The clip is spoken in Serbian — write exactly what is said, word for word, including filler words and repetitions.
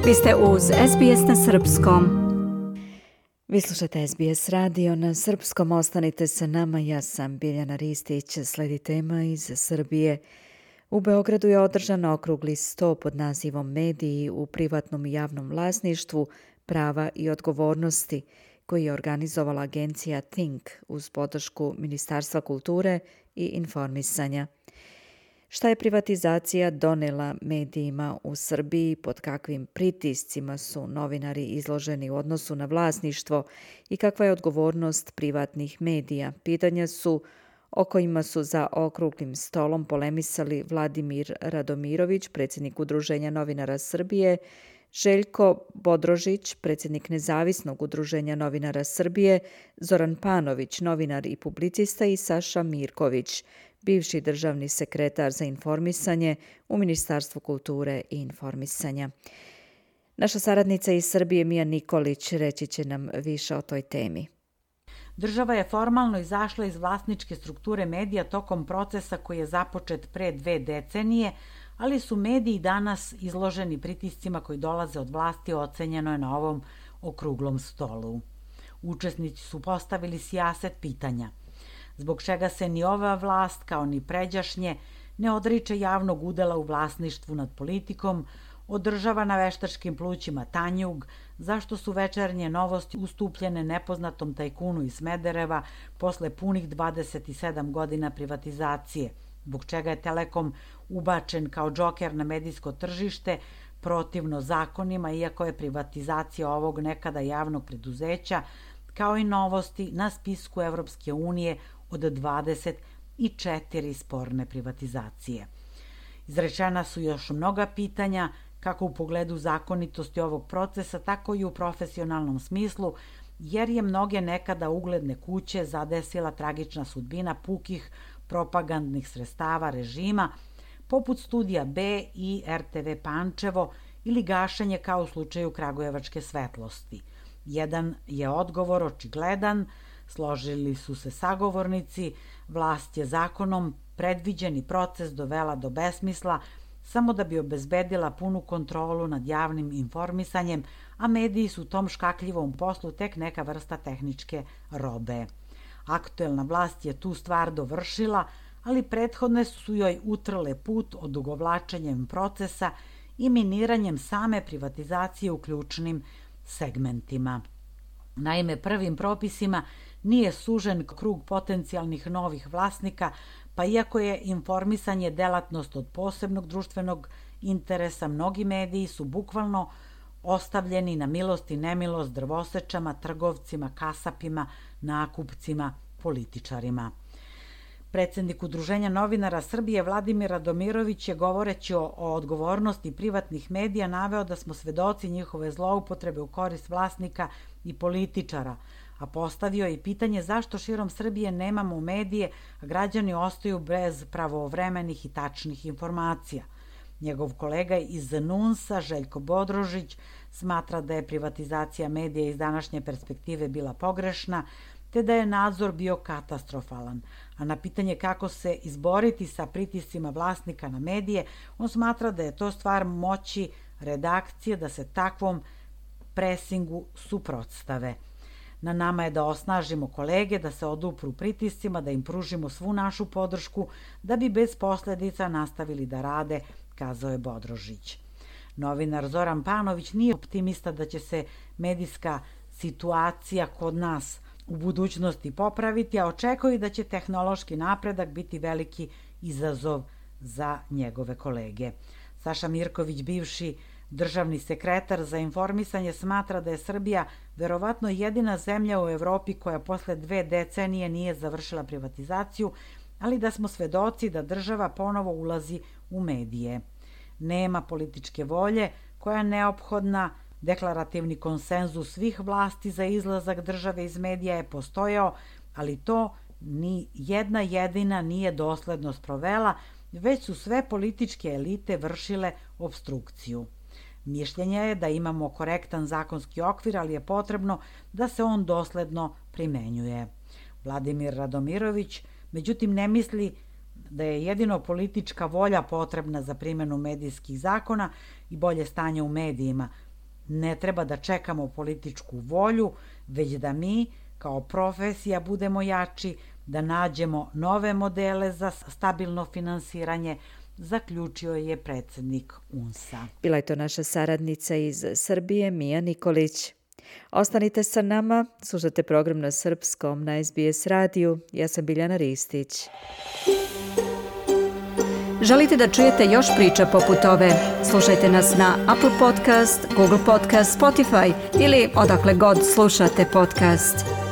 Vi ste uz S B S na srpskom. Vi slušate S B S radio na srpskom. Ostanite sa nama. Ja sam Biljana Ristić. Sledi tema iz Srbije. U Beogradu je održan okrugli sto pod nazivom Mediji u privatnom i javnom vlasništvu, prava i odgovornosti, koji je organizovala agencija Think uz podršku Ministarstva kulture i informisanja. Šta je privatizacija donela medijima u Srbiji, pod kakvim pritiscima su novinari izloženi u odnosu na vlasništvo i kakva je odgovornost privatnih medija? Pitanja su o kojima su za okruglim stolom polemisali Vladimir Radomirović, predsjednik Udruženja novinara Srbije, Željko Bodrožić, predsjednik Nezavisnog udruženja novinara Srbije, Zoran Panović, novinar i publicista i Saša Mirković, bivši državni sekretar za informisanje u Ministarstvu kulture i informisanja. Naša saradnica iz Srbije Mija Nikolić reći će nam više o toj temi. Država je formalno izašla iz vlasničke strukture medija tokom procesa koji je započet pre dve decenije, ali su mediji danas izloženi pritiscima koji dolaze od vlasti, ocenjeno je na ovom okruglom stolu. Učesnici su postavili sijaset pitanja. Zbog čega se ni ova vlast, kao ni pređašnje, ne odriče javnog udela u vlasništvu nad politikom, održava na veštačkim plućima Tanjug, zašto su Večernje novosti ustupljene nepoznatom tajkunu iz Smedereva posle punih dvadeset sedam godina privatizacije, zbog čega je Telekom ubačen kao džoker na medijsko tržište protivno zakonima, iako je privatizacija ovog nekada javnog preduzeća, kao i novosti na spisku Evropske unije od dvadeset četiri sporne privatizacije. Izrečena su još mnoga pitanja, kako u pogledu zakonitosti ovog procesa, tako i u profesionalnom smislu, jer je mnoge nekada ugledne kuće zadesila tragična sudbina pukih propagandnih sredstava režima, poput Studija B i R T V Pančevo ili gašenje kao u slučaju Kragujevačke svetlosti. Jedan je odgovor očigledan, složili su se sagovornici, vlast je zakonom predviđeni proces dovela do besmisla samo da bi obezbedila punu kontrolu nad javnim informisanjem, a mediji su u tom škakljivom poslu tek neka vrsta tehničke robe. Aktuelna vlast je tu stvar dovršila, ali prethodne su joj utrle put odugovlačenjem procesa i miniranjem same privatizacije u ključnim segmentima. Naime, prvim propisima nije sužen krug potencijalnih novih vlasnika, pa iako je informisanje delatnost od posebnog društvenog interesa, mnogi mediji su bukvalno ostavljeni na milost i nemilost drvosečama, trgovcima, kasapima, nakupcima, političarima. Predsjednik Udruženja novinara Srbije Vladimir Radomirović je, govoreći o, o odgovornosti privatnih medija, naveo da smo svedoci njihove zloupotrebe u korist vlasnika i političara, a postavio je i pitanje zašto širom Srbije nemamo medije, a građani ostaju bez pravovremenih i tačnih informacija. Njegov kolega iz Nunsa, Željko Bodrožić, smatra da je privatizacija medija iz današnje perspektive bila pogrešna, te da je nadzor bio katastrofalan. A na pitanje kako se izboriti sa pritiscima vlasnika na medije, on smatra da je to stvar moći redakcije da se takvom presingu suprotstave. Na nama je da osnažimo kolege, da se odupru pritiscima, da im pružimo svu našu podršku, da bi bez posledica nastavili da rade, kazao je Bodrožić. Novinar Zoran Panović nije optimista da će se medijska situacija kod nas u budućnosti popraviti, a očekuje da će tehnološki napredak biti veliki izazov za njegove kolege. Saša Mirković, bivši državni sekretar za informisanje, smatra da je Srbija verovatno jedina zemlja u Evropi koja posle dve decenije nije završila privatizaciju, ali da smo svedoci da država ponovo ulazi u medije. Nema političke volje koja je neophodna. Deklarativni konsenzus svih vlasti za izlazak države iz medija je postojao, ali to ni jedna jedina nije dosledno sprovela, već su sve političke elite vršile obstrukciju. Mišljenje je da imamo korektan zakonski okvir, ali je potrebno da se on dosledno primenjuje. Vladimir Radomirović, međutim, ne misli da je jedino politička volja potrebna za primjenu medijskih zakona i bolje stanje u medijima, Ne treba da čekamo političku volju, već da mi, kao profesija, budemo jači, da nađemo nove modele za stabilno finansiranje, zaključio je predsednik U N S-a. Bila je to naša saradnica iz Srbije, Mija Nikolić. Ostanite sa nama, slušate program na srpskom na S B S radiju. Ja sam Biljana Ristić. Želite da čujete još priča poput ove? Slušajte nas na Apple Podcast, Google Podcast, Spotify ili odakle god slušate podcast.